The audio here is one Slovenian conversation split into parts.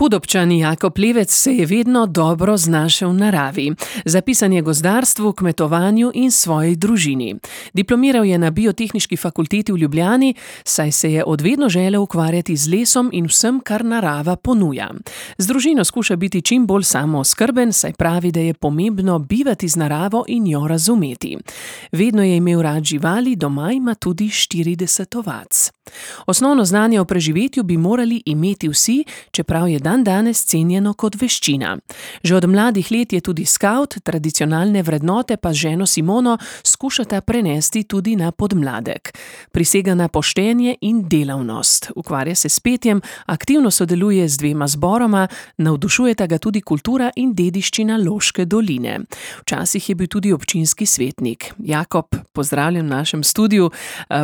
Pudobčan Jakob Levec se je vedno dobro znašel v naravi. Zapisan je gozdarstvu, kmetovanju in svoji družini. Diplomiral je na Biotehniški fakulteti v Ljubljani, saj se je od vedno želel ukvarjati z lesom in vsem, kar narava ponuja. Z družino skuša biti čim bolj samooskrben, saj pravi, da je pomembno bivati z naravo in jo razumeti. Vedno je imel rad živali, doma ima tudi 40 ovac. Osnovno znanje o preživetju bi morali imeti vsi, čeprav je dandanes cenjeno kot veščina. Že od mladih let je tudi skavt, tradicionalne vrednote pa z ženo Simono skušata prenesti tudi na podmladek. Prisega na poštenje in delavnost. Ukvarja se s petjem, aktivno sodeluje z 2 zboroma, navdušujeta ga tudi kultura in dediščina Loške doline. Včasih je bil tudi občinski svetnik. Jakob, pozdravljen v našem studiu.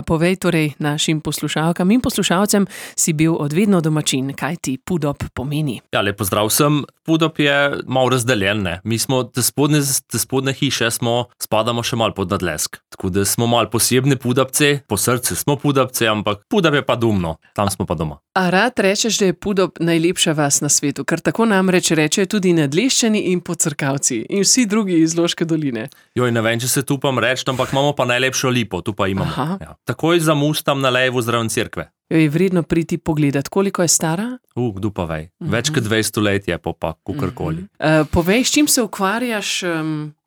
Povej torej našim poslušalkam in poslušalcem, si bil od vedno domačin. Kaj ti Pudob pomeni? Ja, lep pozdrav vsem. Pudob je malo razdeljen, ne. Mi smo te spodne hiše spadamo še malo pod Nadlesk. Tako da smo malo posebni Pudobci, po srcu smo Pudobci, ampak Pudob je pa domno, tam smo pa doma. A rad rečeš, da je Pudob najlepša vas na svetu, ker tako namreč rečejo tudi Nadleščani in Podcrkavci in vsi drugi iz Loške doline. Joj, ne vem, če se tu upam reči, ampak imamo pa najlepšo lipo, tu pa imamo. Ja. Takoj za most tam na levo zraven cerkve. Jo je vredno priti pogledat. Koliko je stara? Kdo pa vej. Več kot 200 let je pa kukorkoli. Povej, s čim se ukvarjaš,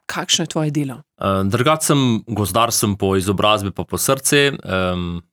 kakšno je tvoje delo? Drugače sem gozdar, sem po izobrazbi pa po srcu,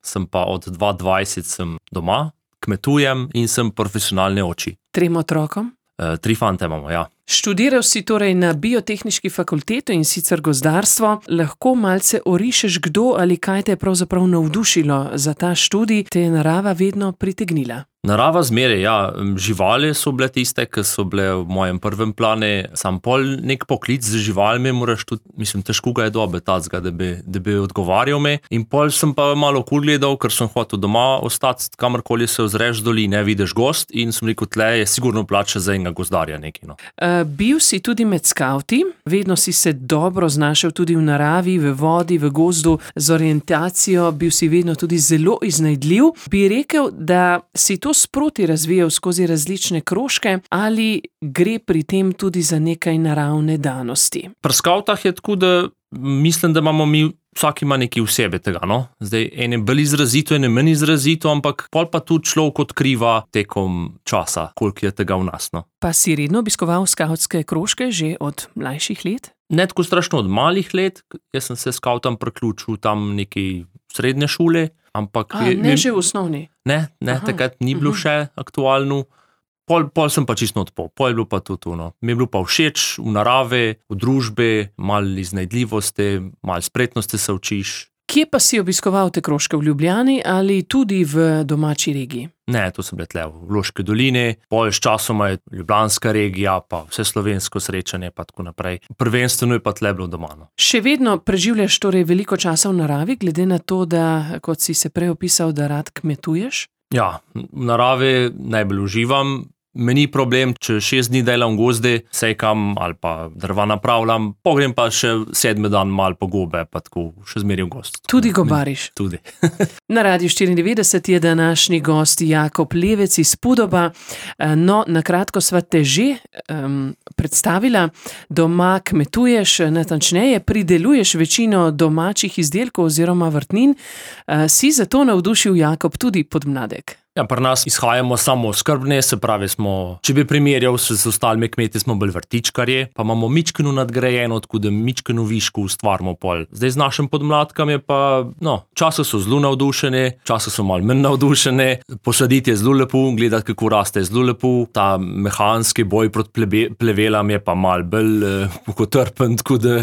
sem pa od 2020 sem doma, kmetujem in sem profesionalni oči. 3 otrokom? 3 fante imamo, ja. Študiral si torej na Biotehniški fakulteti in sicer gozdarstvo. Lahko malce orišeš, kdo ali kaj te je pravzaprav navdušilo za ta študij, te je narava vedno pritegnila? Narava zmeraj, ja. Živali so bile tiste, ki so bile v mojem prvem planu. Sam pol nek poklic z živalmi moraš tudi, težko ga je dobiti tacga, da bi odgovarjal me. In pol sem pa malo okoli gledal, ker sem hotel doma ostati, kamorkoli se ozreš doline, vidiš gozd in sem rekel, tle je sigurno plača za enega gozdarja nekaj, no. Bil si tudi med skavti, vedno si se dobro znašel tudi v naravi, v vodi, v gozdu, z orientacijo, bil si vedno tudi zelo iznajdljiv. Bi rekel, da si to sproti razvijal skozi različne krožke ali gre pri tem tudi za nekaj naravne danosti? Pri skavtah je tako, da mislim, da imamo mi vsak ima nekaj v sebi tega, no. Zdaj, ene bolj izrazito, ene manj izrazito, ampak pol pa tudi človek odkriva tekom časa, koliko je tega v nas, no. Pa si redno obiskoval skavtske krožke že od mlajših let? Ne tako strašno od malih let, jaz sem se skavtam priključil tam neki srednje šole, ampak... Že v osnovni? Ne, takrat ni bilo še aktualno. Pol sem pa čisto odpol, pol je bilo pa tudi no. Mi je bilo pa všeč v naravi, v družbi, malo iznajdljivosti, malo spretnosti se učiš. Kje pa si obiskoval te krožke, v Ljubljani ali tudi v domači regiji? Ne, to so bile tle v Loški dolini, pol s časoma je ljubljanska regija, pa vse slovensko srečanje, pa tako naprej. Prvenstveno je pa tle bilo doma, no. Še vedno preživljaš torej veliko časa v naravi, glede na to, da, kot si se prej opisal, da rad kmetuješ? Ja, v naravi najbolj uživam. Meni problem, če 6 dni delam v gozdi, sekam ali pa drva napravljam, pogrem pa še 7. dan malo po gobe, pa tako še zmeraj v gozd. Tudi gobariš? Tudi. Na Radiu 94 je današnji gost Jakob Levec iz Pudoba. No, na kratko sva te že predstavila. Doma kmetuješ, natančneje prideluješ večino domačih izdelkov oziroma vrtnin. Si zato navdušil Jakob tudi podmladek? Ja, pri nas izhajamo samooskrbni, se pravi smo, če bi primerjal s ostalimi kmeti, smo bolj vrtičkarji, pa imamo mičkeno nadgrajeno, tako da mičkeno viško ustvarimo pol. Zdaj z našim podmladkom je pa, časih so zelo navdušeni, časih so malo manj navdušeni, posaditi je zelo lepo, gledati kako raste je zelo lepo, ta mehanski boj proti plevelam je pa malo bolj mukotrpen, tako da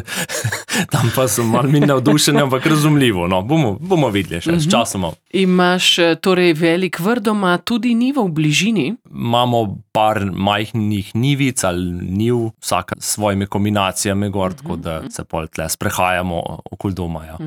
tam pa so malo manj navdušeni, ampak razumljivo, no, bomo videli še s časom. Imaš torej velik vrt doma, tudi njivo v bližini? Imamo par majhnih njivic ali njiv, vsaka s svojimi kombinacijami gor, tako da se pol tle sprehajamo okoli doma, ja.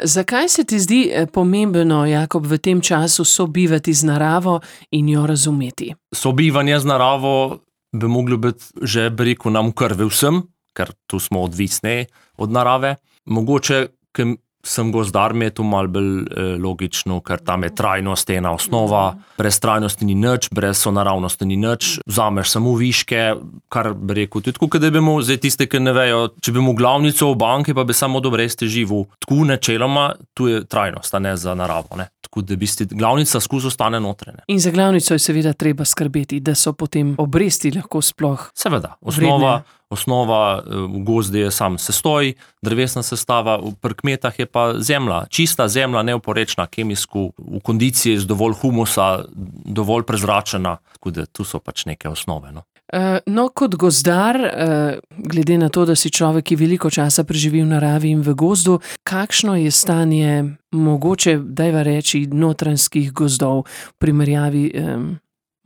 Zakaj se ti zdi pomembno, Jakob, v tem času sobivati z naravo in jo razumeti? Sobivanje z naravo bi moglo biti že, bi rekel, nam v krvi vsem, ker tu smo odvisni od narave. Mogoče, ker sem gozdar, mi je to malo bolj logično, ker tam je trajnost ena osnova, brez trajnosti ni nič, brez sonaravnosti ni nič, vzameš samo viške, kar bi rekel, tudi tako, da bi mu, zdaj tiste, ki ne vejo, če bi mu glavnico v banki, pa bi samo od obresti živel, tako načeloma, tu je trajnost, a ne za naravo, ne. Tako da bi glavnica skozi ostane notrene. In za glavnico je seveda treba skrbeti, da so potem obresti lahko sploh seveda, vredne. Osnova v gozdi je sam sestoj, drevesna sestava, pri kmetah je pa zemlja, čista zemlja, neoporečna, kemijsko, v kondiciji z dovolj humusa, dovolj prezračena, tako da tu so pač neke osnove, no. No, kot gozdar, glede na to, da si človek, ki veliko časa preživi v naravi in v gozdu, kakšno je stanje mogoče, dajva reči, notranjskih gozdov v primerjavi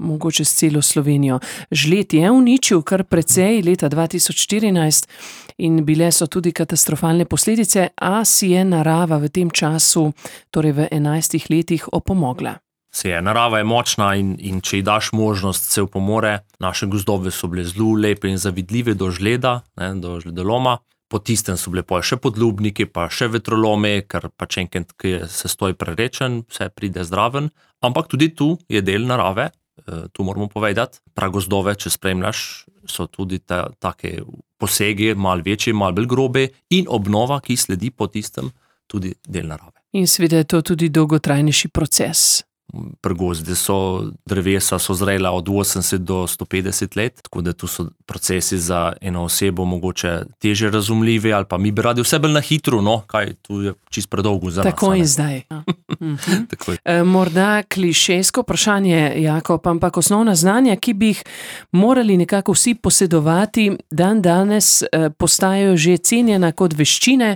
mogoče s celo Slovenijo? Žled je uničil kar precej leta 2014 in bile so tudi katastrofalne posledice, a si je narava v tem času, torej v 11 letih, opomogla. Narava je močna in če ji daš možnost, se opomore. Naše gozdove so bile zelo lepe in zavidljive do žleda, ne, do žledoloma. Po tistem so bile še podlubniki, pa še vetrolome, ker pač enkrat, ki je sestoj prerečen, vse pride zraven. Ampak tudi tu je del narave, tu moramo povedati. Pragozdove, če spremljaš, so tudi take posegi, malo večji, malo bolj grobe in obnova, ki sledi po tistem, tudi del narave. In seveda je to tudi dolgotrajnejši proces. Pri gozdi drevesa so zrela od 80 do 150 let, tako da tu so procesi za eno osebo mogoče teže razumljivi, ali pa mi bi radi vse bolj na hitro, no, kaj tu je čisto predolgo za nas. Tako in zdaj. Morda klišejsko vprašanje, Jakob, ampak osnovna znanja, ki bi jih morali nekako vsi posedovati, danes postajajo že cenjena kot veščine,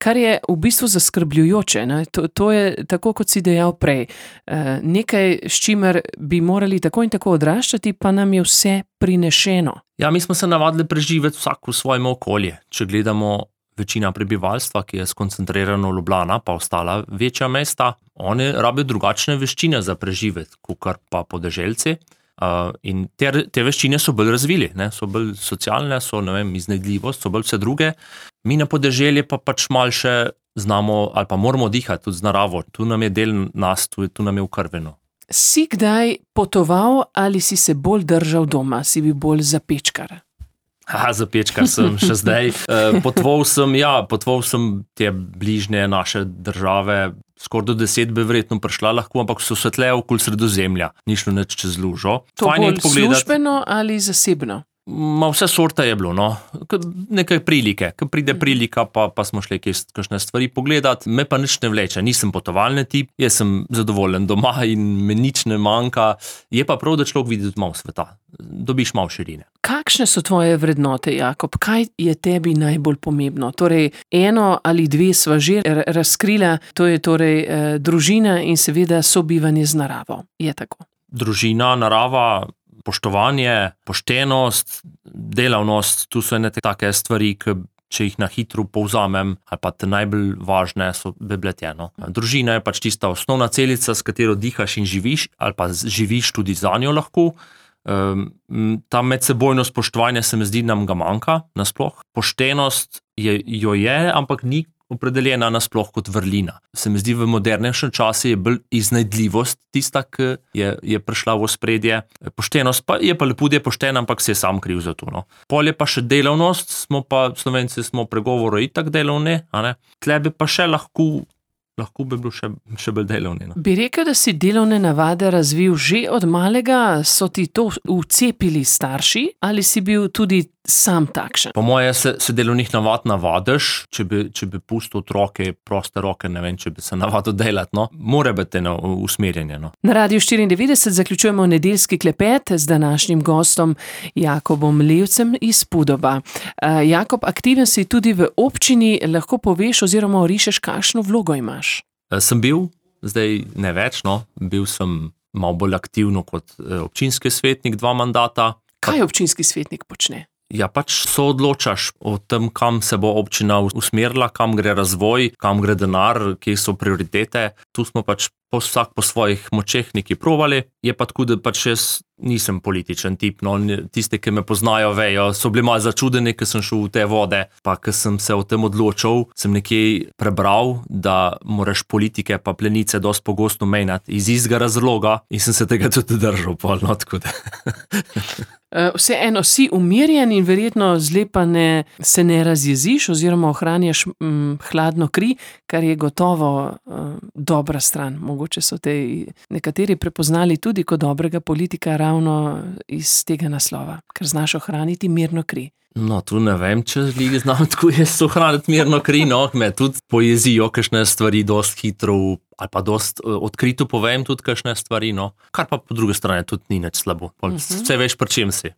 kar je v bistvu zaskrbljujoče, ne? To je tako, kot si dejal prej. Nekaj, s čimer bi morali tako in tako odraščati, pa nam je vse prinešeno. Ja, mi smo se navadili preživeti vsak v svojem okolju. Če gledamo večina prebivalstva, ki je skoncentrirano v Ljubljana, pa ostala večja mesta, oni rabijo drugačne veščine za preživeti, kakor pa podeželci. In te veščine so bolj razvili, ne? So bolj socialne, so, ne vem, iznajdljivost, so bolj vse druge. Mi na podeželje pa pač malo še znamo ali pa moramo dihati tudi z naravo. Tu nam je del nas, tu nam je ukrveno. Si kdaj potoval ali si se bolj držal doma? Si bil bolj zapečkar? Zapečkar sem še zdaj. Potoval sem te bližnje naše države, skoraj do 10 bi verjetno prišla lahko, ampak so se tle okoli Sredozemlja, ni šlo nič čez lužo. To bolj službeno ali zasebno? Vse sorta je bilo, no. Nekaj prilike, ko pride prilika, pa smo šli kakšne stvari pogledati, me pa nič ne vleče, nisem potovalni tip, jaz sem zadovoljen doma in me nič ne manjka, je pa prav, da človek vidi tudi malo sveta, dobiš malo širine. Kakšne so tvoje vrednote, Jakob? Kaj je tebi najbolj pomembno? Torej, eno ali dve sva že razkrila, to je torej družina in seveda sobivanje z naravo. Je tako? Družina, narava, poštovanje, poštenost, delavnost, tu so ene take stvari, ki če jih na hitro povzamem, ali pa te najbolj važne so bebletjeno. Družina je pač tista osnovna celica, s katero dihaš in živiš, ali pa živiš tudi za njo lahko. Ta medsebojno spoštovanje se mi zdi, nam ga manjka nasploh. Poštenost jo je, ampak ni opredeljena nasploh kot vrlina. Se mi zdi, v modernejšem času je bolj iznajdljivost tista, ki je prišla v ospredje. Poštenost pa je pa lepo, da je pošten, ampak se je sam kriv za to, no. Pol je pa še delavnost, Slovenci smo pregovoru itak delovni, a ne. Tle bi pa še lahko bi bilo še bolj delovni, no. Bi rekel, da si delovne navade razvil že od malega, so ti to vcepili starši ali si bil tudi sam takšen? Po moje se delovnih navad navadiš, če bi pustil otroke proste roke, ne vem, če bi se navadil delati, no. Mora biti usmerjanje, no. Na Radiu 94 zaključujemo nedeljski klepet z današnjim gostom Jakobom Levcem iz Pudoba. Jakob, aktiven si tudi v občini, lahko poveš oziroma orišeš, kakšno vlogo imaš? Sem bil, zdaj ne več, no. Bil sem malo bolj aktivno kot občinski svetnik 2 mandata. Kaj občinski svetnik počne? Ja, pač soodločaš o tem, kam se bo občina usmerila, kam gre razvoj, kam gre denar, kje so prioritete. tu smo pač vsak po svojih močeh nekaj provali, je pa tako, da pač jaz nisem političen tip, no, tisti, ki me poznajo, vejo, so bili malo začudeni, ko sem šel v te vode, pa ko sem se o tem odločil, sem nekje prebral, da moraš politike pa plenice dosti pogosto menjati iz istega razloga in sem se tega tudi držal, no, tako da. Vseeno si umirjen in verjetno zlepa se ne razjeziš oziroma ohranjaš hladno kri, kar je gotovo dobra stran. Mogoče so te nekateri prepoznali tudi kot dobrega politika ravno iz tega naslova, ker znaš ohraniti mirno kri. No, tu ne vem, če znam tako jaz ohraniti mirno kri, no, me tudi pojezijo kakšne stvari dosti hitro ali pa dosti odkrito povem tudi kakšne stvari, no, kar pa po drugi strani tudi ni nič slabo. Vse veš, pri čem si.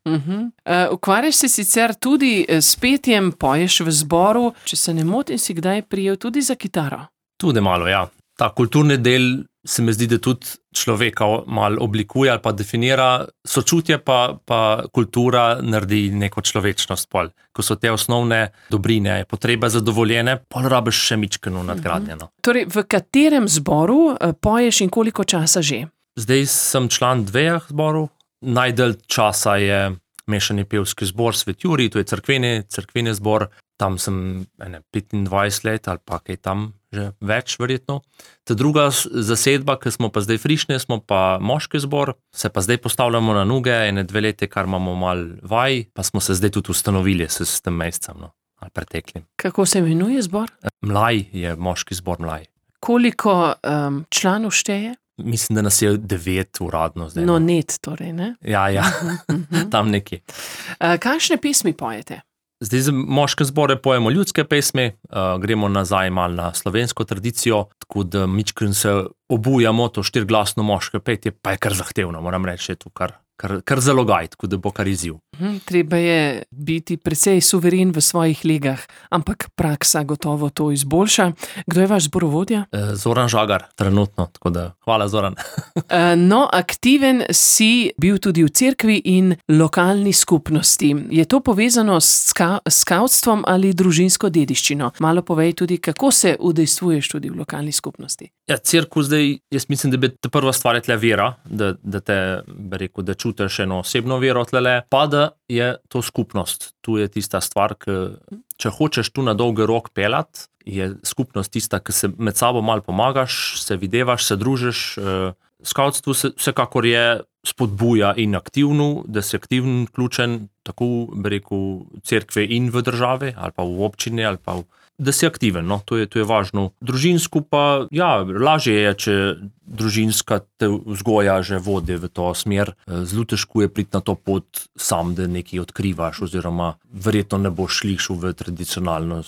Ukvarjaš se sicer tudi s petjem, poješ v zboru, če se ne motim, si kdaj prijel tudi za kitaro? Tudi malo, ja. Ta kulturni del se mi zdi, da tudi človeka malo oblikuje ali pa definira, sočutje pa kultura naredi neko človečnost pol. Ko so te osnovne dobrine, potrebe zadovoljene, pol rabiš še mičkeno nadgradnjeno. Torej, v katerem zboru poješ in koliko časa že? Zdaj sem član 2 zborov. Najdalj časa je mešani pevski zbor Svet Jurij, to je cerkveni zbor. Tam sem 25 let ali pa kaj tam že več verjetno. Ta druga zasedba, ki smo pa zdaj frišni, smo pa moški zbor, se pa zdaj postavljamo na noge, 2 leti, kar imamo malo vaj, pa smo se zdaj tudi ustanovili s tem mesecem, no, ali preteklim. Kako se imenuje zbor? Mlaj je moški zbor Mlaj. Koliko članov šteje? Mislim, da nas je 9 uradno zdaj. No, net torej, ne? Ja, tam nekje. Kakšne pesmi pojete? Zdaj za moške zbore pojemo ljudske pesmi, gremo nazaj malo na slovensko tradicijo, tako da mičken se obujamo, to 4-glasno moške petje, pa je kar zahtevno, moram reči, je to kar zalogaj, tako da bo kar izziv. Treba je biti precej suveren v svojih legah, ampak praksa gotovo to izboljša. Kdo je vaš zborovodja? Zoran Žagar, trenutno, tako da hvala, Zoran. No, aktiven si bil tudi v cerkvi in lokalni skupnosti. Je to povezano s skavtstvom ali družinsko dediščino? Malo povej tudi, kako se udejstvuješ tudi v lokalni skupnosti. Ja, cerkev zdaj, jaz mislim, da bi ta prva stvar je tle vera, da te, bi rekel, da čutiš eno osebno vero tlele, pa da je to skupnost. Tu je tista stvar, če hočeš tu na dolgi rok pelat, je skupnost tista, ki se med sabo malo pomagaš, se videvaš, se družiš. Skavtstvo vsekakor je spodbuja in aktivno, da si aktivno vključen, tako bi rekel, cerkve in v državi, ali pa v občini, ali pa da si aktiven, no, to je važno. Družinsko pa, ja, lažje je, če družinska te vzgoja že vodi v to smer. Zelo težko je priti na to pot sam, da nekaj odkrivaš, oziroma verjetno ne boš šel v tradicionalno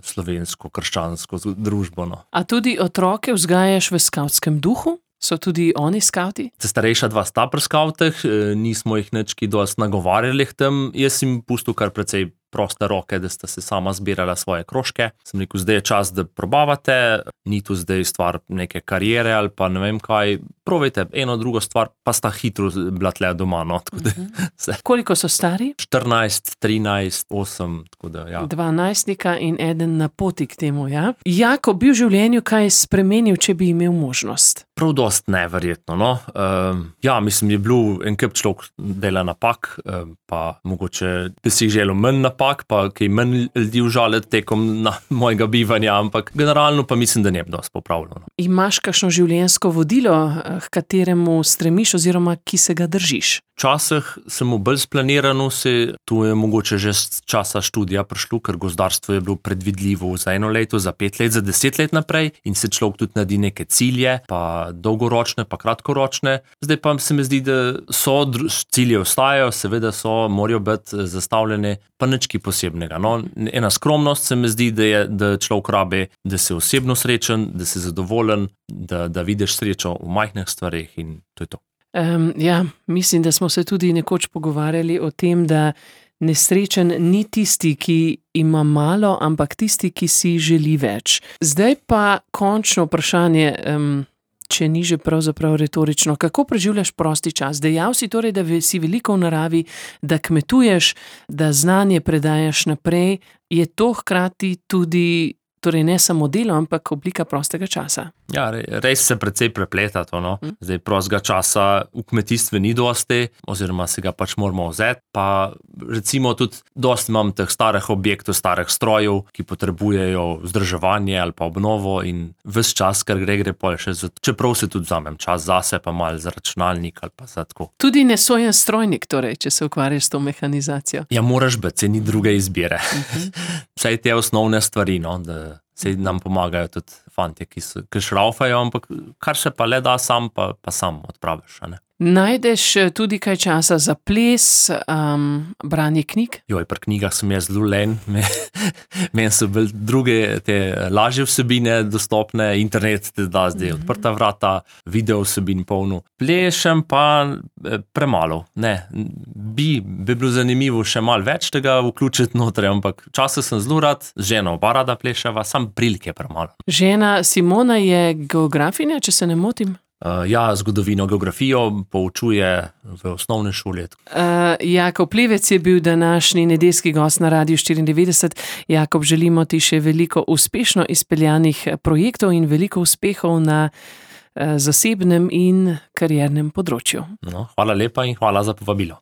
slovensko, krščansko družbo, no. A tudi otroke vzgajaš v skavtskem duhu? So tudi oni skavti? Starejša 2 sta pri skavtih, nismo jih nič kaj dosti nagovarjali k tem, jaz jim pustil kar precej proste roke, da sta se sama zbirala svoje krožke. Sem rekel, zdaj je čas, da probavate, ni tu zdaj stvar neke kariere ali pa ne vem kaj, probajte eno drugo stvar, pa sta hitro bila tle doma, no, tako da se. Koliko so stari? 14, 13, 8, tako da, ja. 2 najstnika in 1 na poti k temu, ja? Jako bi v življenju kaj spremenil, če bi imel možnost? Prav dost neverjetno, no. Ja, mislim, je bil en kup človek dela napak, pa mogoče bi si želel manj napak, pa kaj manj ljudi užaliti tekom mojega bivanja, ampak generalno pa mislim, da ne bi dosti popravljeno. Imaš kakšno življenjsko vodilo, k kateremu stremiš oziroma ki se ga držiš? Včasih sem bolj splaniran, tu je mogoče že z časa študija prišlo, ker gozdarstvo je bilo predvidljivo za 1 leto, za 5 let, za 10 let naprej in se človek tudi naredi neke cilje, pa dolgoročne, pa kratkoročne. Zdaj pa se mi zdi, da cilje ostajajo, seveda morajo biti zastavljene, pa nič kaj posebnega. No, ena skromnost se mi zdi, da človek rabi, da se osebno srečen, da se zadovoljen, da vidiš srečo v majhnih stvareh in to je to. Ja, mislim, da smo se tudi nekoč pogovarjali o tem, da nesrečen ni tisti, ki ima malo, ampak tisti, ki si želi več. Zdaj pa končno vprašanje, če ni že pravzaprav retorično. Kako preživljaš prosti čas? Dejal si torej, da si veliko v naravi, da kmetuješ, da znanje predajaš naprej. Je to hkrati tudi torej ne samo delo, ampak oblika prostega časa. Ja, res se precej prepleta to, no. Zdaj prostega časa v kmetijstvu ni dosti, oziroma se ga pač moramo vzeti, pa recimo tudi dosti imam teh starih objektov, starih strojev, ki potrebujejo vzdrževanje ali pa obnovo in ves čas, ker gre pol še čeprav se tudi vzamem čas zase, pa malo za računalnik ali pa za tako. Tudi nesojen strojnik, torej, če se ukvarjaš s to mehanizacijo. Ja, moraš biti, ni druge izbire. Vsaj te osnovne stvari, no, da se nam pomagajo tudi fantje, ki šraufajo, ampak kar se pa le da sam, pa sam odpraviš, a ne. Najdeš tudi kaj časa za ples, branje knjig? Joj, pri knjigah sem jaz zelo len. Meni so bolj druge te lažje vsebine dostopne, internet te da zdaj odprta vrata, video vsebin polno. Plešem pa premalo. Ne, bi bilo zanimivo še malo več tega vključiti noter, ampak včasih sem zelo rad, z ženo oba rada pleševa, sam prilike premalo. Žena Simona je geografinja, če se ne motim? Ja, zgodovino, geografijo poučuje v osnovni šoli. Jakob Plevec je bil današnji nedeljski gost na Radiu 94. Jakob, želimo ti še veliko uspešno izpeljanih projektov in veliko uspehov na zasebnem in kariernem področju. No, hvala lepa in hvala za povabilo.